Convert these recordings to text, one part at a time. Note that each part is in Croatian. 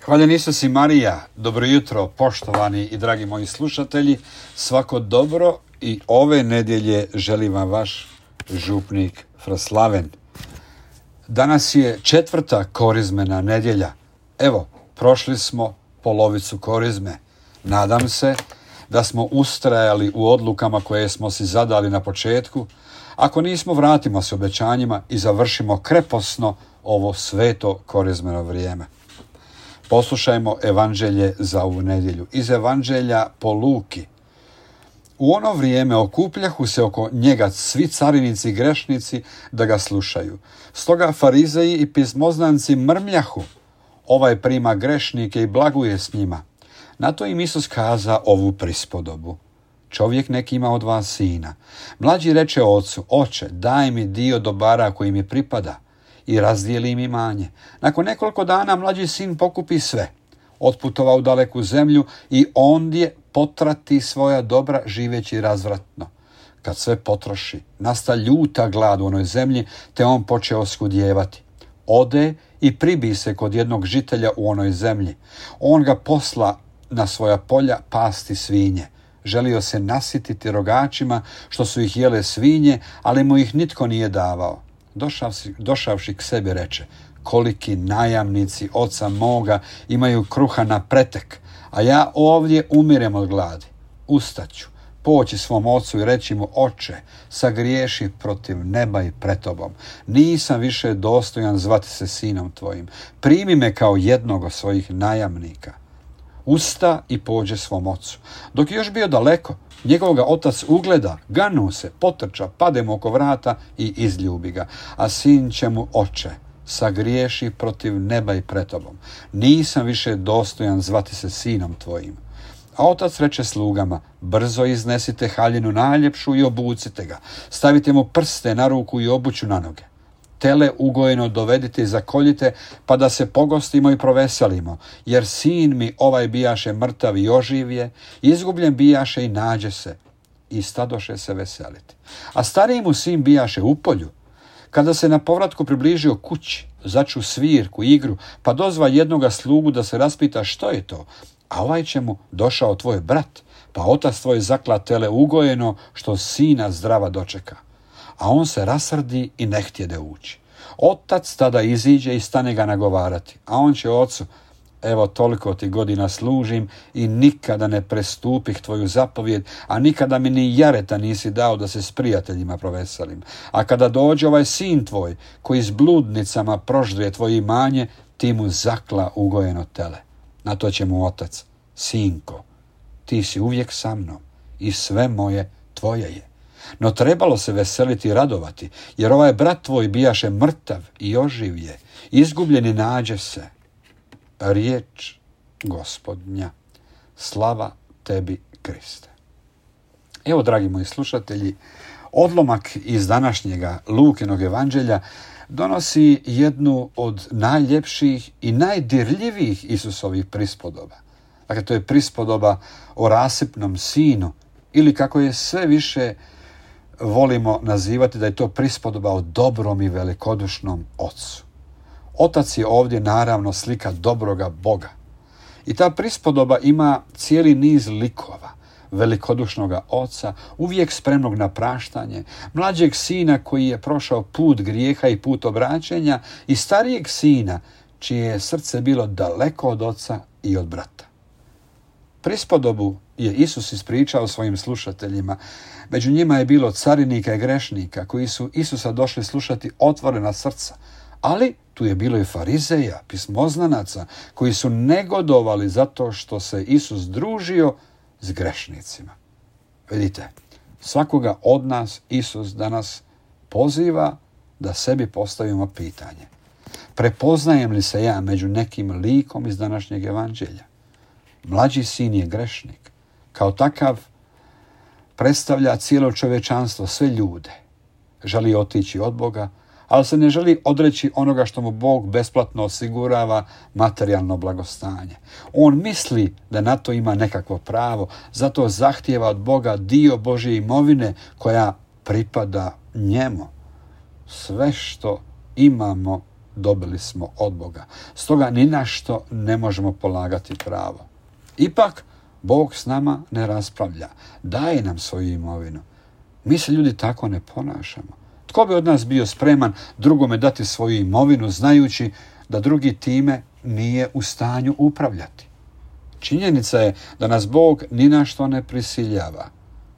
Hvaljen Isus i Marija, dobro jutro poštovani i dragi moji slušatelji, svako dobro i ove nedjelje želim vam vaš župnik Fraslaven. Danas je 4. korizmena nedjelja. Evo, prošli smo polovicu korizme. Nadam se da smo ustrajali u odlukama koje smo si zadali na početku. Ako nismo, vratimo se obećanjima i završimo kreposno ovo sveto korizmeno vrijeme. Poslušajmo evanđelje za ovu nedjelju. Iz evanđelja po Luki. U ono vrijeme okupljahu se oko njega svi carinici i grešnici da ga slušaju. Stoga farizeji i pismoznanci mrmljahu: ovaj prima grešnike i blaguje s njima. Na to im Isus kaza ovu prispodobu. Čovjek neki ima od vas sina. Mlađi reče ocu: oče, daj mi dio dobara koji mi pripada, i razdijeli im imanje. Nakon nekoliko dana mlađi sin pokupi sve, otputovao u daleku zemlju i ondje potrati svoja dobra živeći razvratno. Kad sve potroši, nasta ljuta glad u onoj zemlji, te on počeo oskudijevati. Ode i pribi se kod jednog žitelja u onoj zemlji. On ga posla na svoja polja pasti svinje. Želio se nasititi rogačima što su ih jele svinje, ali mu ih nitko nije davao. Došavši k sebi reče: koliki najamnici oca moga imaju kruha na pretek, a ja ovdje umirem od gladi. Ustaću, poći svom ocu i reći mu: oče, sagriješi protiv neba i pred tobom. Nisam više dostojan zvati se sinom tvojim. Primi me kao jednog od svojih najamnika. Usta i pođe svom ocu. Dok je još bio daleko, njegov ga otac ugleda, ganu se, potrča, pade mu oko vrata i izljubi ga. A sin će mu: oče, sagriješi protiv neba i pred tobom. Nisam više dostojan zvati se sinom tvojim. A otac reče slugama: brzo iznesite haljinu najljepšu i obucite ga. Stavite mu prste na ruku i obuću na noge. Tele ugojeno dovedite i zakoljite, pa da se pogostimo i proveselimo, jer sin mi ovaj bijaše mrtav i oživje, izgubljen bijaše i nađe se, i stadoše se veseliti. A stariji mu sin bijaše u polju. Kada se na povratku približio kući, začu svirku, igru, pa dozva jednoga slugu da se raspita što je to, a ovaj će mu: došao tvoj brat, pa otac tvoj zakla tele ugojeno, što sina zdrava dočeka. A on se rasrdi i ne htjede ući. Otac tada iziđe i stane ga nagovarati, a on će ocu: evo, toliko ti godina služim i nikada ne prestupih tvoju zapovjed, a nikada mi ni jareta nisi dao da se s prijateljima proveselim. A kada dođe ovaj sin tvoj, koji s bludnicama proždrije tvoje imanje, ti mu zakla ugojeno tele. Na to će mu otac: sinko, ti si uvijek sa mnom i sve moje tvoje je. No trebalo se veseliti i radovati, jer ovaj brat tvoj bijaše mrtav i oživje, izgubljen i nađe se. Riječ Gospodnja. Slava tebi, Kriste. Evo, dragi moji slušatelji, odlomak iz današnjega Lukinog evanđelja donosi jednu od najljepših i najdirljivijih Isusovih prispodoba. Dakle, to je prispodoba o rasipnom sinu, ili kako je sve više volimo nazivati, da je to prispodoba o dobrom i velikodušnom ocu. Otac je ovdje naravno slika dobroga Boga. I ta prispodoba ima cijeli niz likova: velikodušnoga oca, uvijek spremnog na praštanje, mlađeg sina koji je prošao put grijeha i put obraćenja, i starijeg sina čije je srce bilo daleko od oca i od brata. Prispodobu je Isus ispričao svojim slušateljima. Među njima je bilo carinika i grešnika koji su Isusa došli slušati otvorena srca, ali tu je bilo i farizeja, pismoznanaca, koji su negodovali zato što se Isus družio s grešnicima. Vidite, svakoga od nas Isus danas poziva da sebi postavimo pitanje: prepoznajem li se ja među nekim likom iz današnjeg evanđelja? Mlađi sin je grešnik. Kao takav predstavlja cijelo čovječanstvo, sve ljude. Želi otići od Boga, ali se ne želi odreći onoga što mu Bog besplatno osigurava, materijalno blagostanje. On misli da na to ima nekakvo pravo, zato zahtijeva od Boga dio Božje imovine koja pripada njemu. Sve što imamo dobili smo od Boga. Stoga ni na što ne možemo polagati pravo. Ipak, Bog s nama ne raspravlja. Daje nam svoju imovinu. Mi se ljudi tako ne ponašamo. Tko bi od nas bio spreman drugome dati svoju imovinu znajući da drugi time nije u stanju upravljati? Činjenica je da nas Bog ni na što ne prisiljava.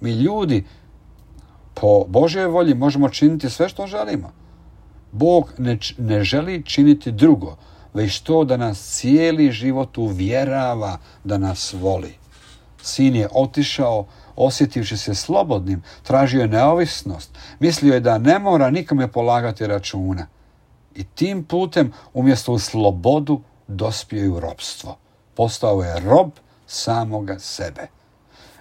Mi ljudi po Božjoj volji možemo činiti sve što želimo. Bog ne želi činiti drugo, već to da nas cijeli život uvjerava da nas voli. Sin je otišao, osjetivši se slobodnim, tražio je neovisnost, mislio je da ne mora nikome polagati računa. I tim putem, umjesto u slobodu, dospio je u ropstvo. Postao je rob samoga sebe.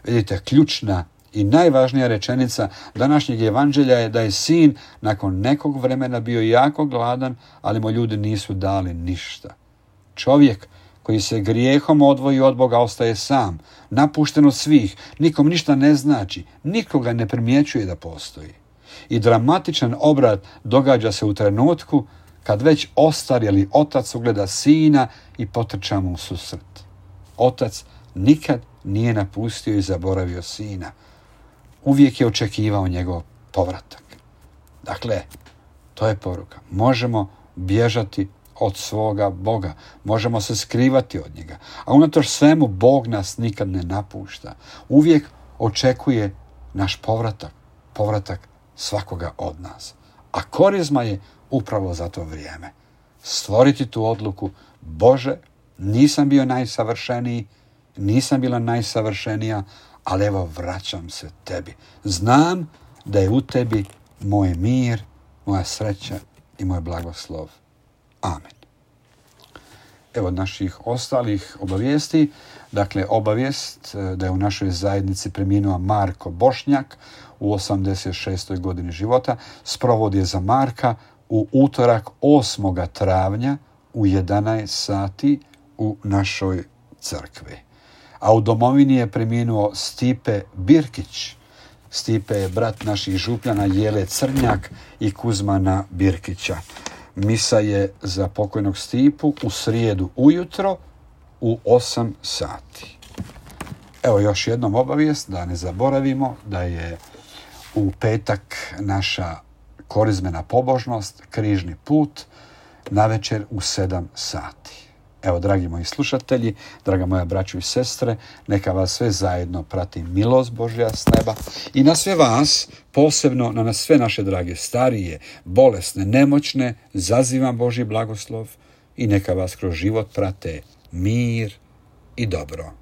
Vidite, ključna i najvažnija rečenica današnjeg evanđelja je da je sin nakon nekog vremena bio jako gladan, ali mu ljudi nisu dali ništa. Čovjek koji se grijehom odvoji od Boga ostaje sam, napušten od svih, nikom ništa ne znači, nikoga ne primjećuje da postoji. I dramatičan obrat događa se u trenutku kad već ostarjeli otac ugleda sina i potrča mu u susret. Otac nikad nije napustio i zaboravio sina. Uvijek je očekivao njegov povratak. Dakle, to je poruka. Možemo bježati od svoga Boga. Možemo se skrivati od njega. A unatoč svemu Bog nas nikad ne napušta. Uvijek očekuje naš povratak. Povratak svakoga od nas. A korizma je upravo za to vrijeme. Stvoriti tu odluku: Bože, nisam bio najsavršeniji, nisam bila najsavršenija, ali evo vraćam se tebi. Znam da je u tebi moj mir, moja sreća i moj blagoslov. Amen. Evo naših ostalih obavijesti. Dakle, obavijest da je u našoj zajednici preminuo Marko Bošnjak u 86. godini života. Sprovod je za Marka u utorak 8. travnja u 11 sati u našoj crkvi. A u domovini je preminuo Stipe Birkić. Stipe je brat naših župljana Jele Crnjak i Kuzmana Birkića. Misa je za pokojnog Stipu u srijedu ujutro u 8 sati. Evo još jednom obavijest da ne zaboravimo da je u petak naša korizmena pobožnost, križni put, navečer u 7 sati. Evo, dragi moji slušatelji, draga moja braćo i sestre, neka vas sve zajedno prati milost Božja s neba i na sve vas, posebno na sve naše drage starije, bolesne, nemoćne, zazivam Božji blagoslov i neka vas kroz život prate mir i dobro.